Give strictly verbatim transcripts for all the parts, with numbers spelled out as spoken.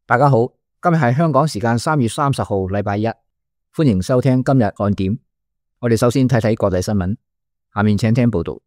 大家好，今日係香港時間三月三十號，禮拜一，歡迎收聽今日看點。我哋首先睇睇國際新聞，下面請聽報道。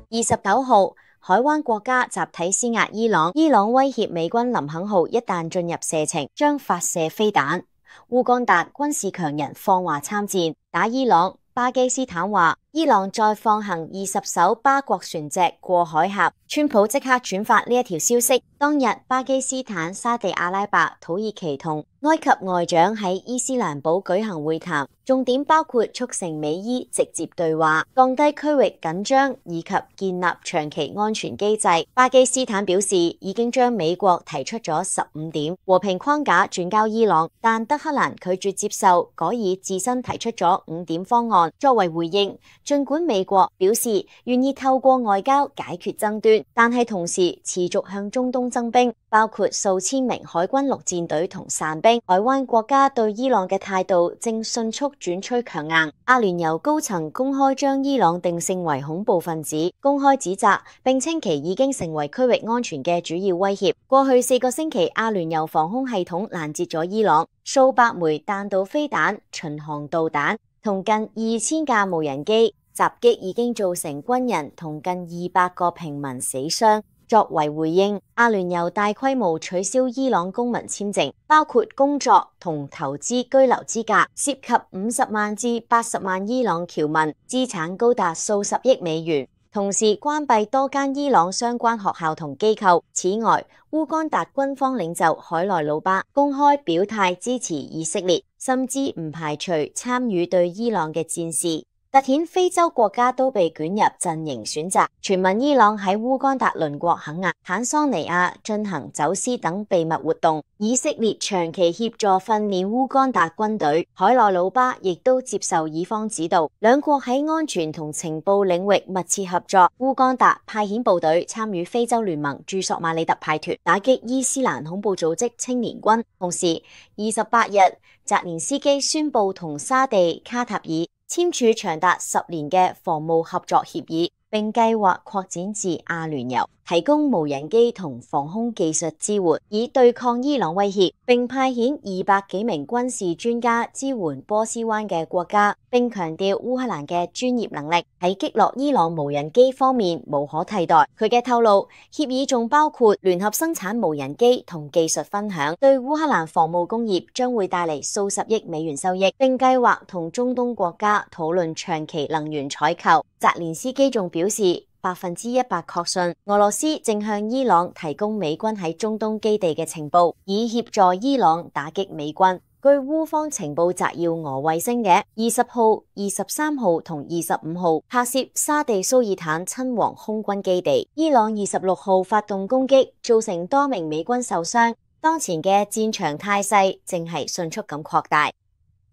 二十九號，海灣國家集體施壓伊朗，伊朗威脅美軍林肯號一旦進入射程，將發射飛彈。烏干達軍事強人放話參戰打伊朗。巴基斯坦話伊朗再放行二十艘巴國船隻過海峽，川普即刻轉發呢一條消息。當日巴基斯坦、沙地阿拉伯、土耳其同埃及外長喺伊斯蘭堡舉行會談，重點包括促成美伊直接對話、降低區域緊張以及建立長期安全機制。巴基斯坦表示已經將美國提出咗十五點和平框架轉交伊朗，但德黑蘭拒絕接受，改以自身提出咗五點方案作為回應。儘管美國表示願意透過外交解決爭端，但係同時持續向中東增兵，包括數千名海軍陸戰隊同傘兵。海灣國家對伊朗嘅態度正迅速轉趨強硬。阿聯酋高層公開將伊朗定性為恐怖分子，公開指責並稱其已經成為區域安全嘅主要威脅。過去四個星期，阿聯酋防空系統攔截咗伊朗數百枚彈道飛彈、巡航導彈同近二千架無人機，襲擊已經造成軍人同近二百個平民死傷。作為回應，阿聯酋大規模取消伊朗公民簽證，包括工作同投資居留資格，涉及五十萬至八十萬伊朗僑民，資產高達數十億美元。同時關閉多間伊朗相關學校同機構。此外，烏干達軍方領袖海內魯巴公開表態支持以色列，甚至唔排除參與對伊朗嘅戰事。凸顯非洲國家都被捲入陣營選擇，傳聞伊朗喺烏干達鄰國肯亞、坦桑尼亞進行走私等秘密活動，以色列長期協助訓練烏干達軍隊，海內魯巴亦都接受以方指導，兩國喺安全同情報領域密切合作。烏干達派遣部隊參與非洲聯盟駐索馬里特派團，打擊伊斯蘭恐怖組織青年軍。同時，二十八日，澤連斯基宣布同沙地、卡塔爾簽署長達十年嘅防務合作協議，並計劃擴展至阿聯酋，提供無人機同防空技術支援，以對抗伊朗威脅，並派遣二百幾名軍事專家支援波斯灣嘅國家，並強調烏克蘭嘅專業能力喺擊落伊朗無人機方面無可替代。佢嘅透露，協議仲包括聯合生產無人機同技術分享，對烏克蘭防務工業將會帶嚟數十億美元收益，並計劃同中東國家討論長期能源採購。澤連斯基仲表示，百分之一百確信俄羅斯正向伊朗提供美軍喺中東基地嘅情報，以協助伊朗打擊美軍。據烏方情報摘要俄衛星嘅二十號、二十三號同二十五號拍攝沙地蘇爾坦親王空軍基地，伊朗二十六號發動攻擊，造成多名美軍受傷。當前嘅戰場態勢正係迅速咁擴大。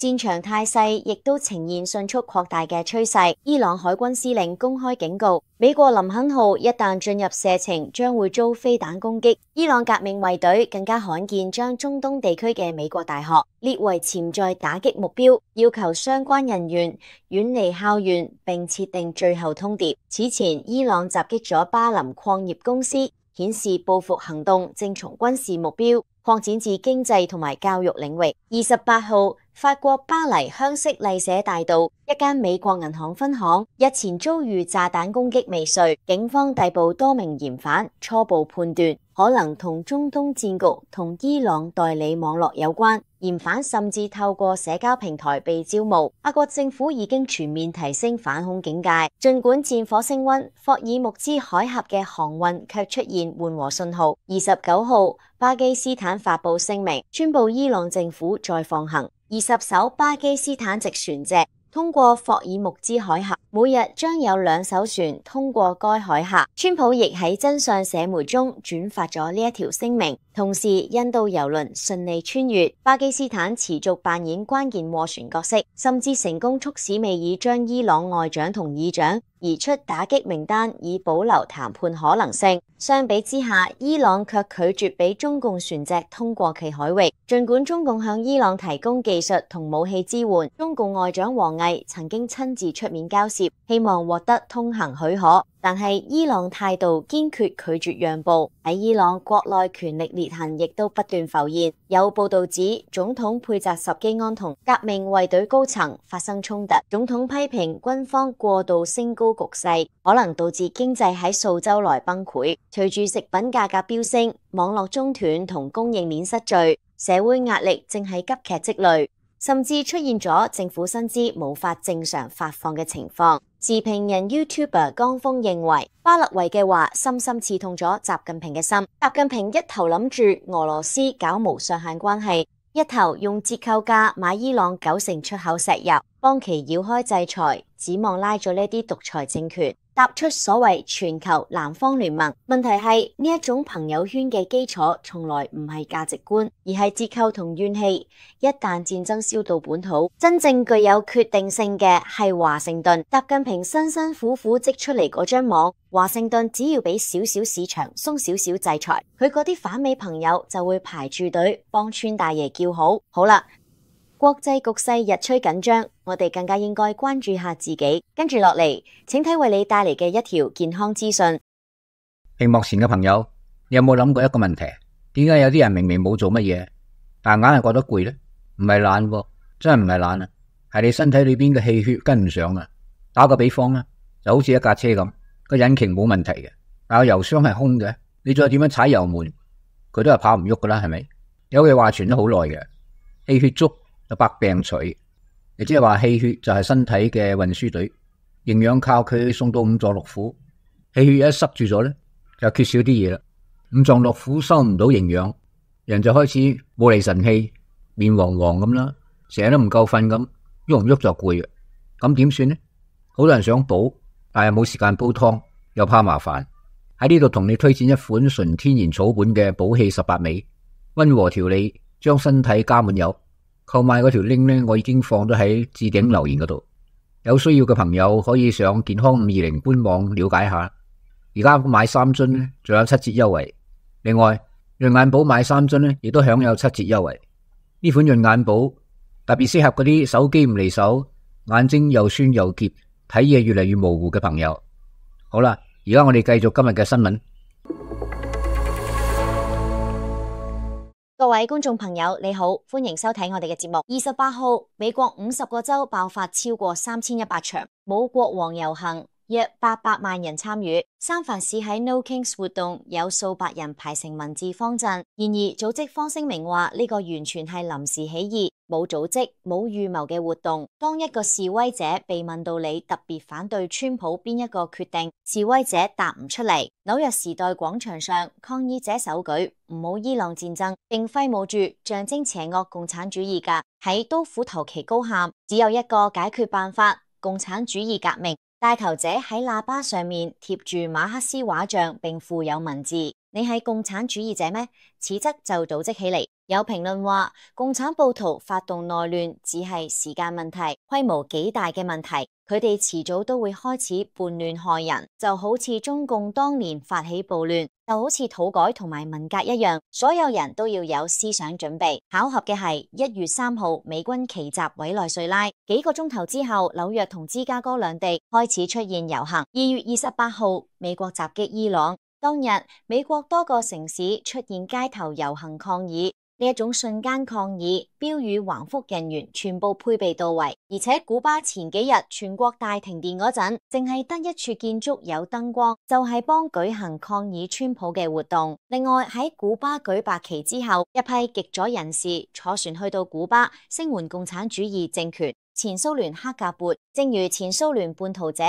戰場態勢亦都呈現迅速擴大嘅趨勢。伊朗海軍司令公開警告，美國林肯號一旦進入射程，將會遭飛彈攻擊。伊朗革命衛隊更加罕見將中東地區嘅美國大學列為潛在打擊目標，要求相關人員遠離校園，並設定最後通牒。此前，伊朗襲擊咗巴林礦業公司，顯示報復行動正從軍事目標擴展至經濟同埋教育領域。二十八號，法國巴黎香榭麗舍大道一間美國銀行分行日前遭遇炸彈攻擊未遂，警方逮捕多名嫌犯，初步判斷可能同中東戰局同伊朗代理網絡有關。嫌犯甚至透過社交平台被招募。法國政府已經全面提升反恐警戒，儘管戰火升溫，霍爾木茲海峽嘅航運卻出現緩和信號。二十九號，巴基斯坦發布聲明，宣布伊朗政府再放行二十艘巴基斯坦籍船隻通過霍爾木茲海峽，每日將有兩艘船通過該海峽。川普亦喺真相社媒中轉發咗呢一條聲明，同時印度郵輪順利穿越。巴基斯坦持續扮演關鍵斡旋角色，甚至成功促使美爾將伊朗外長同議長移出打擊名單，以保留談判可能性。相比之下，伊朗卻拒絕俾中共船隻通過其海域。儘管中共向伊朗提供技術同武器支援，中共外長王毅曾經親自出面交涉，希望獲得通行許可。但係伊朗態度堅決拒絕讓步。喺伊朗國內權力裂痕亦都不斷浮現，有報道指總統佩澤什基安同革命衛隊高層發生衝突。總統批評軍方過度升高局勢，可能導致經濟喺數週內崩潰。隨住食品價格飆升，網絡中斷同供應鏈失序，社會壓力正係急劇積累，甚至出現咗政府薪資無法正常發放嘅情況。時評人 YouTuber 江峰認為，巴勒維嘅話深深刺痛咗習近平嘅心。習近平一頭諗住俄羅斯搞無上限關係，一頭用折扣價買伊朗九成出口石油，幫其繞開制裁，指望拉咗呢啲獨裁政權踏出所謂全球南方聯盟。問題係呢一種朋友圈嘅基礎從來唔係價值觀，而係折扣同怨氣。一旦戰爭燒到本土，真正具有決定性嘅係華盛頓。習近平辛辛苦苦織出嚟嗰張網，華盛頓只要俾少少市場鬆少少制裁，佢嗰啲反美朋友就會排住隊幫川大爺叫好。好啦，國際局勢日趨緊張，我哋更加應該關注下自己。跟住落嚟，請睇為你帶嚟嘅一條健康資訊。屏幕前嘅朋友，你有冇諗過一個問題？點解有啲人明明冇做乜嘢，但硬係覺得攰呢？唔係懶喎，真係唔係懶啊，係你身體裏邊嘅氣血跟唔上啊。打個比方啦，就好似一架車咁，個引擎冇問題嘅，但個油箱係空嘅，你再點樣踩油門，佢都係跑唔喐噶啦，係咪？有句話傳咗好耐嘅，氣血足就百病除，亦即係話氣血就係身體嘅運輸隊，營養靠佢送到五臟六腑，氣血一塞住咗咧，就缺少啲嘢啦，五臟六腑收唔到營養，人就開始冇厘神氣，面黃黃咁啦，成日都唔夠瞓咁，喐唔喐就攰嘅，咁點算呢？好多人想補，但係冇時間煲湯，又怕麻煩。喺呢度同你推薦一款純天然草本嘅補氣十八味，溫和調理，將身體加滿油。購買嗰條 link 咧，我已經放咗喺置頂留言嗰度，有需要嘅朋友可以上健康五二零官網了解下。而家買三樽咧，仲有七折優惠。另外，潤眼寶買三樽咧，亦都享有七折優惠。呢款潤眼寶特別適合嗰啲手機唔離手、眼睛又酸又澀、睇嘢越嚟越模糊嘅朋友。好啦，而家我哋繼續今日嘅新聞。各位觀眾朋友，你好，歡迎收睇我哋嘅節目。二十八號，美國五十個州爆發超過三千一百場冇國王遊行，約八百萬人參與。三藩市喺 No Kings 活動有數百人排成文字方陣，然而組織方聲明話呢個完全係臨時起意，冇組織、冇預謀嘅活動。當一個示威者被問到你特別反對川普邊一個決定，示威者答唔出嚟。紐約時代廣場上，抗議者手舉唔好伊朗戰爭，並揮舞住象徵邪惡共產主義噶喺刀斧頭旗高喊，只有一個解決辦法：共產主義革命。帶頭者喺喇叭上面貼住馬克思畫像，並附有文字：你係共產主義者咩？此則就組織起嚟。有評論話，共產暴徒發動內亂只係時間問題，規模幾大嘅問題，佢哋遲早都會開始叛亂害人，就好似中共當年發起暴亂，就好似土改同埋文革一樣，所有人都要有思想準備。巧合嘅係一月三號美軍奇襲委內瑞拉，幾個鐘頭之後，紐約同芝加哥兩地開始出現遊行。二月二十八號，美國襲擊伊朗，當日美國多個城市出現街頭遊行抗議。呢一種瞬間抗議，標語橫幅人員全部配備到位，而且古巴前幾日全國大停電嗰陣，淨係得一處建築有燈光，就係幫舉行抗議川普嘅活動。另外喺古巴舉白旗之後，一批極左人士坐船去到古巴聲援共產主義政權前蘇聯克格勃。正如前蘇聯叛徒者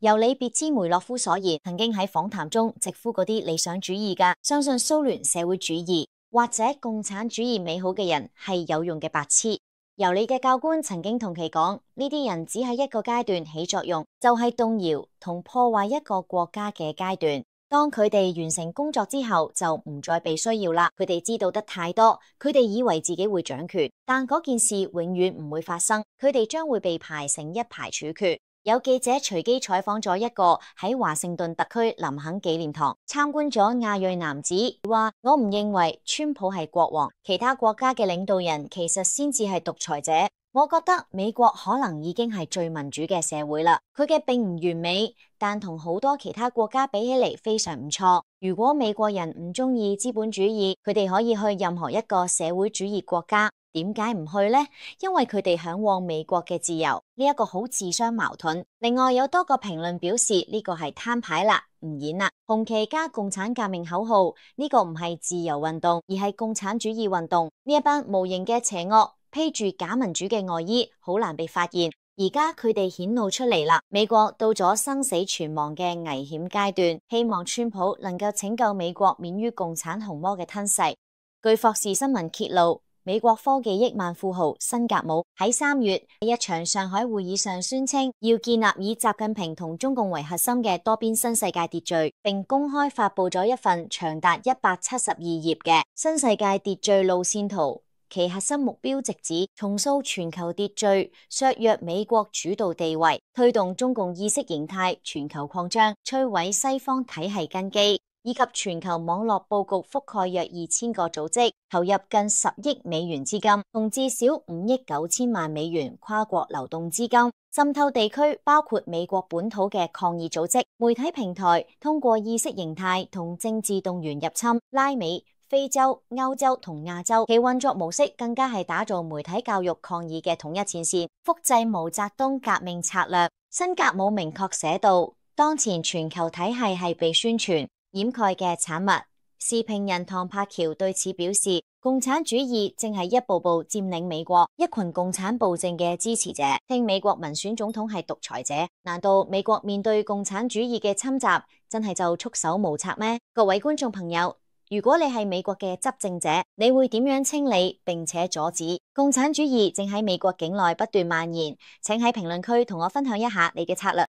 尤里別茲梅洛夫所言，曾經喺訪談中直呼嗰啲理想主義噶相信蘇聯社會主義或者共產主義美好嘅人係有用嘅白痴。由你嘅教官曾經同其講，呢啲人只係一個階段起作用，就係動搖同破壞一個國家嘅階段。當佢哋完成工作之後，就唔再被需要啦。佢哋知道得太多，佢哋以為自己會掌權，但嗰件事永遠唔會發生。佢哋將會被排成一排處決。有記者隨機採訪咗一個喺華盛頓特區林肯紀念堂參觀咗亞裔男子，話我唔認為川普係國王，其他國家嘅領導人其實先至係獨裁者。我覺得美國可能已經係最民主嘅社會啦，佢嘅並唔完美，但同好多其他國家比起嚟非常唔錯。如果美國人唔中意資本主義，佢哋可以去任何一個社會主義國家。點解唔去呢？因為佢哋向往美國嘅自由，呢一個好自相矛盾。另外有多個評論表示呢個係攤牌啦，唔演啦。紅旗加共產革命口號，呢個唔係自由運動，而係共產主義運動。呢一班無形嘅邪惡披住假民主嘅外衣，好難被發現。而家佢哋顯露出嚟啦，美國到咗生死存亡嘅危險階段，希望川普能夠拯救美國免於共產紅魔嘅吞噬。據霍士新聞揭露，美國科技億萬富豪辛格姆喺三月喺一場上海會議上宣稱，要建立以習近平同中共為核心嘅多邊新世界秩序，並公開發佈咗一份長達一百七十二頁嘅新世界秩序路線圖。其核心目標直指重塑全球秩序，削弱美國主導地位，推動中共意識形態全球擴張，摧毀西方體系根基，以及全球網絡佈局覆蓋約二千個組織，投入近十億美元資金，同至少五億九千萬美元跨國流動資金，滲透地區包括美國本土嘅抗議組織、媒體平台，通過意識形態同政治動員入侵拉美、非洲、歐洲同亞洲，其運作模式更加係打造媒體教育抗議嘅統一前線，複製毛澤東革命策略。辛格姆明確寫道，當前全球體系係被宣傳掩蓋嘅產物。時評人唐柏橋對此表示，共產主義正係一步步佔領美國，一群共產暴政嘅支持者稱美國民選總統係獨裁者。難道美國面對共產主義嘅侵襲，真係就束手無策咩？各位觀眾朋友，如果你係美國嘅執政者，你會點樣清理並且阻止共產主義正喺美國境內不斷蔓延？請喺評論區同我分享一下你嘅策略。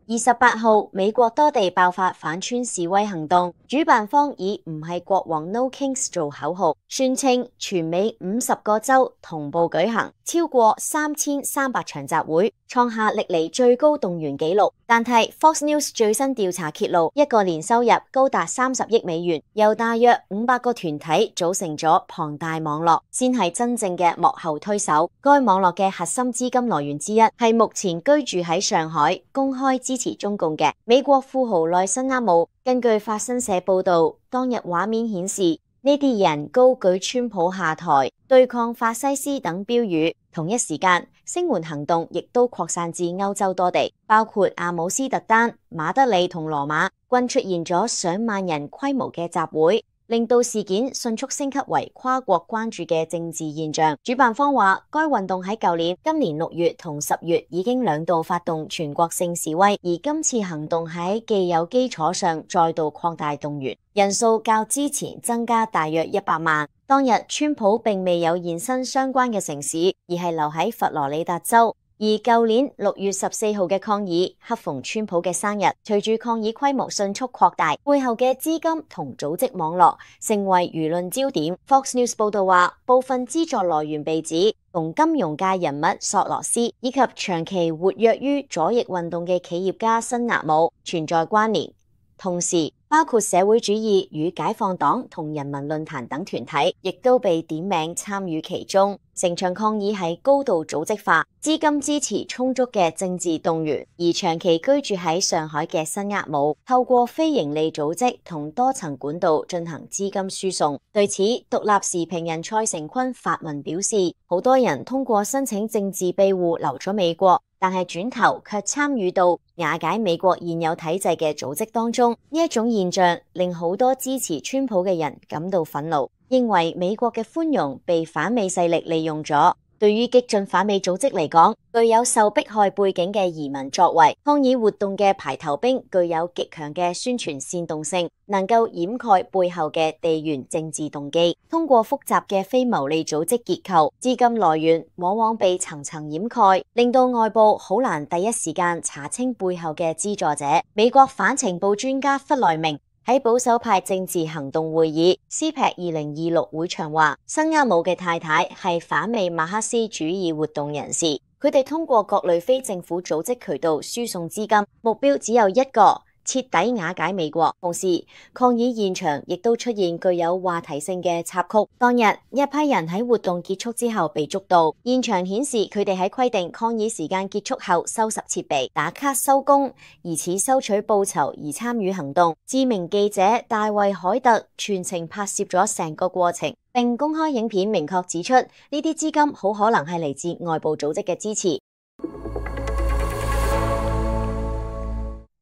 二十八號，美國多地爆發反川示威行動，主辦方以唔係國王 No Kings 做口號，宣稱全美五十個州同步舉行，超過三千三百場集會，創下歷嚟最高動員紀錄。但係 Fox News 最新調查揭露，一個年收入高達三十億美元，由大約五百個團體組成咗龐大網絡，先係真正嘅幕後推手。該網絡嘅核心資金來源之一係目前居住喺上海、公開支持中共嘅美國富豪內森厄姆。根據法新社報道，當日畫面顯示呢啲人高舉川普下台、對抗法西斯等標語。同一時間，聲援行動亦都擴散至歐洲多地，包括阿姆斯特丹、馬德里同羅馬，均出現咗上萬人規模嘅集會，令到事件迅速升級為跨國關注嘅政治現象。主辦方話，該運動喺舊年、今年六月同十月已經兩度發動全國性示威，而今次行動喺既有基礎上再度擴大動員，人數較之前增加大約一百萬。當日，川普並未有現身相關嘅城市，而係留喺佛羅里達州。而舊年六月十四號嘅抗議，恰逢川普嘅生日，隨住抗議規模迅速擴大，背後嘅資金同組織網絡成為輿論焦點。Fox News 報道話，部分資助來源被指同金融界人物索羅斯以及長期活躍於左翼運動嘅企業家辛納姆存在關聯。同時，包括社會主義與解放黨同人民論壇等團體，亦都被點名參與其中。成場抗議係高度組織化，資金支持充足嘅政治動員。而長期居住喺上海嘅辛厄姆，透過非營利組織同多層管道進行資金輸送。對此，獨立時評人蔡成坤發文表示，好多人通過申請政治庇護留咗美國，但係轉頭卻參與到瓦解美國現有體制嘅組織當中。呢一種現象令好多支持川普嘅人感到憤怒，認為美國嘅寬容被反美勢力利用咗。對於激進反美組織嚟講，具有受迫害背景嘅移民作為抗議活動嘅排頭兵，具有極強嘅宣傳煽動性，能夠掩蓋背後嘅地緣政治動機。通過複雜嘅非牟利組織結構，資金來源往往被層層掩蓋，令到外部好難第一時間查清背後嘅資助者。美國反情報專家弗萊明喺保守派政治行動會議 C P A C 二零二六會場話，辛厄姆嘅太太係反美馬克思主義活動人士，佢哋通過各類非政府組織渠道輸送資金，目標只有一個，徹底瓦解美國。同時，抗議現場亦都出現具有話題性嘅插曲。當日，一批人喺活動結束之後被捉到，現場顯示佢哋喺規定抗議時間結束後收拾設備、打卡收工，疑似收取報酬而參與行動。知名記者大衛海特全程拍攝咗成個過程，並公開影片，明確指出呢啲資金好可能係嚟自外部組織嘅支持。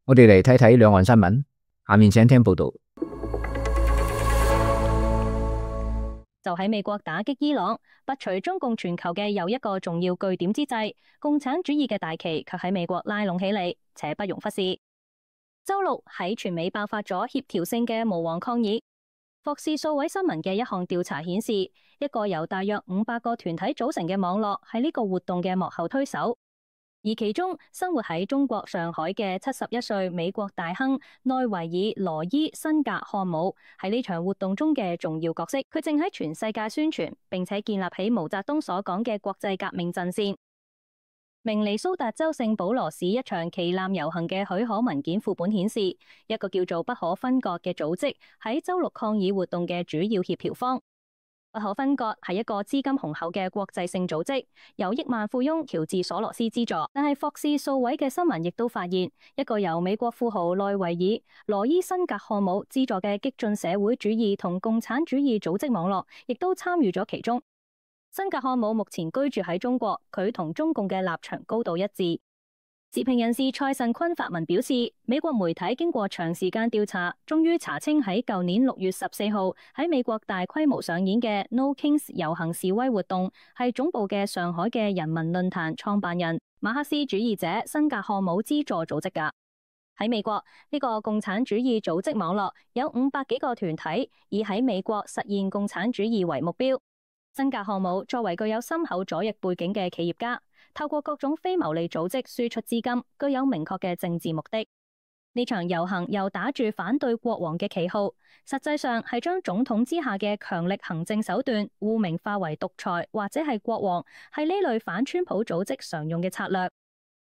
我哋嚟睇睇兩岸新聞，下面請聽報道。就喺美國打擊伊朗、拔除中共全球嘅又一個重要據點之際，共產主義嘅大旗卻喺美國拉攏起嚟，且不容忽視。周六喺全美爆發咗協調性嘅無黃抗議。霍士數位新聞嘅一項調查顯示，一個由大約五百個團體組成嘅網絡係呢個活動嘅幕後推手。而其中生活喺中國上海嘅七十一歲美國大亨內維爾羅伊辛格漢姆喺呢場活動中嘅重要角色，佢正喺全世界宣傳並且建立起毛澤東所講嘅國際革命陣線。明尼蘇達州聖保羅市一場旗艦遊行嘅許可文件副本顯示，一個叫做不可分割嘅組織喺周六抗議活動嘅主要協調方。不可分割係一個資金雄厚嘅國際性組織，由億萬富翁喬治索羅斯資助。但係霍士數位嘅新聞亦都發現，一個由美國富豪內維爾羅伊辛格漢姆資助嘅激進社會主義同共產主義組織網絡，亦都參與咗其中。辛格漢姆目前居住喺中國，佢同中共嘅立場高度一致。時評人士蔡慎坤發文表示，美國媒體經過長時間調查，終於查清喺舊年六月十四號喺美國大規模上演嘅 No Kings 遊行示威活動，係總部嘅上海嘅人民論壇創辦人馬克思主義者辛格漢姆資助組織㗎。喺美國，呢個共產主義組織網絡有五百幾個團體，以喺美國實現共產主義為目標。辛格漢姆作為具有深厚左翼背景嘅企業家，透過各種非牟利組織輸出資金，具有明確嘅政治目的。呢場遊行又打住反對國王嘅旗號，實際上係將總統之下嘅強力行政手段污名化為獨裁或者係國王，係呢類反川普組織常用嘅策略。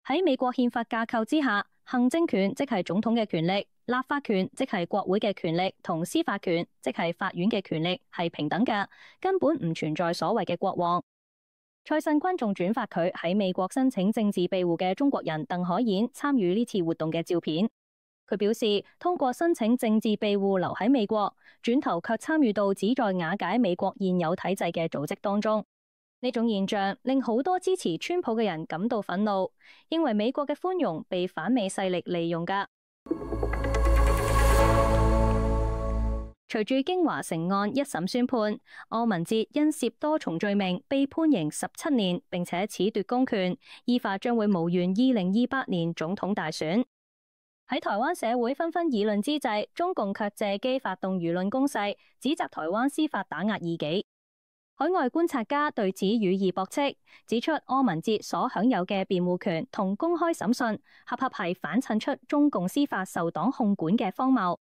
喺美國憲法架構之下，行政權即係總統嘅權力，立法權即係國會嘅權力，同司法權即係法院嘅權力係平等嘅，根本唔存在所謂嘅國王。蔡慎坤仲轉發佢喺美國申請政治庇護嘅中國人鄧可演參與呢次活動嘅照片。佢表示，通過申請政治庇護留喺美國，轉頭卻參與到旨在瓦解美國現有體制嘅組織當中。呢種現象令好多支持川普嘅人感到憤怒，認為美國嘅寬容被反美勢力利用㗎。隨住京華城案一審宣判，柯文哲因涉多重罪名被判刑十七年，並且褫奪公權，依法將會無緣二零二八年總統大選。喺台灣社會紛紛議論之際，中共卻借機發動輿論攻勢，指責台灣司法打壓異己。海外觀察家對此予以駁斥，指出柯文哲所享有嘅辯護權同公開審訊，合合係反襯出中共司法受黨控管嘅荒謬。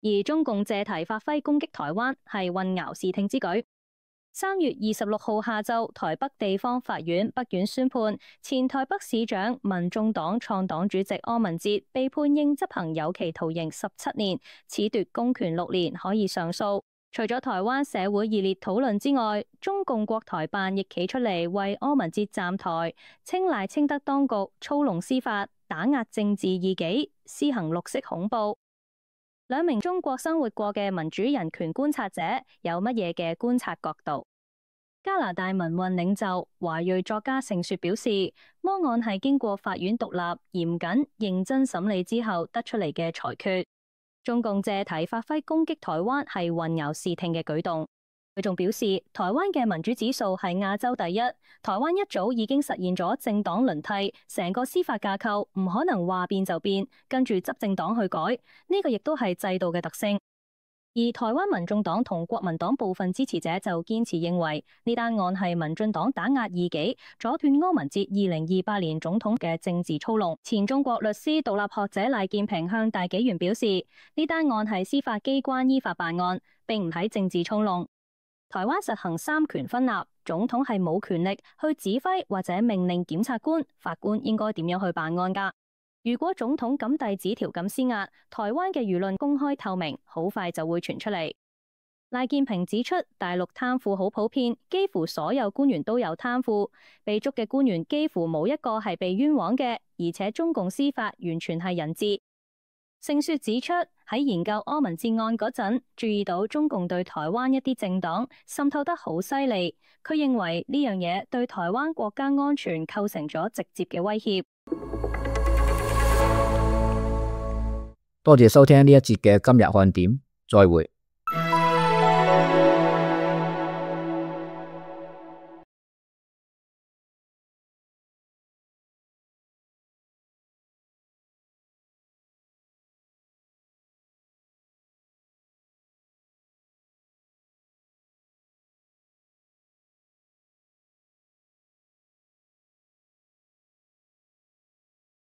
而中共借題發揮攻擊台灣，係混淆視聽之舉。三月二十六號下晝，台北地方法院北院宣判，前台北市長民眾黨創黨主席柯文哲被判應執行有期徒刑十七年，褫奪公權六年，可以上訴。除咗台灣社會熱烈討論之外，中共國台辦亦企出嚟為柯文哲站台，稱賴清德當局操弄司法，打壓政治異己，施行綠色恐怖。兩名中國生活過嘅民主人權觀察者有乜嘢嘅觀察角度？加拿大民運領袖華裔作家盛雪表示，魔案係經過法院獨立、嚴謹、認真審理之後得出嚟嘅裁決。中共借題發揮攻擊台灣係混淆視聽嘅舉動。佢仲表示，台灣嘅民主指數係亞洲第一，台灣一早已經實現咗政黨輪替，成個司法架構唔可能話變就變，跟住執政黨去改，呢個亦都係制度嘅特性。而台灣民眾黨同國民黨部分支持者就堅持認為，呢單案係民進黨打壓異己，阻斷柯文哲二零二八年總統嘅政治操弄。前中國律師獨立學者賴建平向大紀元表示，呢單案係司法機關依法辦案，並唔係政治操弄。台灣實行三權分立，總統係冇權力去指揮或者命令檢察官、法官應該點樣去辦案㗎。如果總統咁遞紙條咁施壓，台灣嘅輿論公開透明，好快就會傳出嚟。賴建平指出，大陸貪腐好普遍，幾乎所有官員都有貪腐，被捉嘅官員幾乎冇一個係被冤枉嘅，而且中共司法完全係人治。盛雪指出，喺研究柯文哲案嗰陣，注意到中共對台灣一啲政黨滲透得好犀利，佢認為呢樣嘢對台灣國家安全構成咗直接嘅威脅。多謝收聽呢一節嘅今日看點，再會。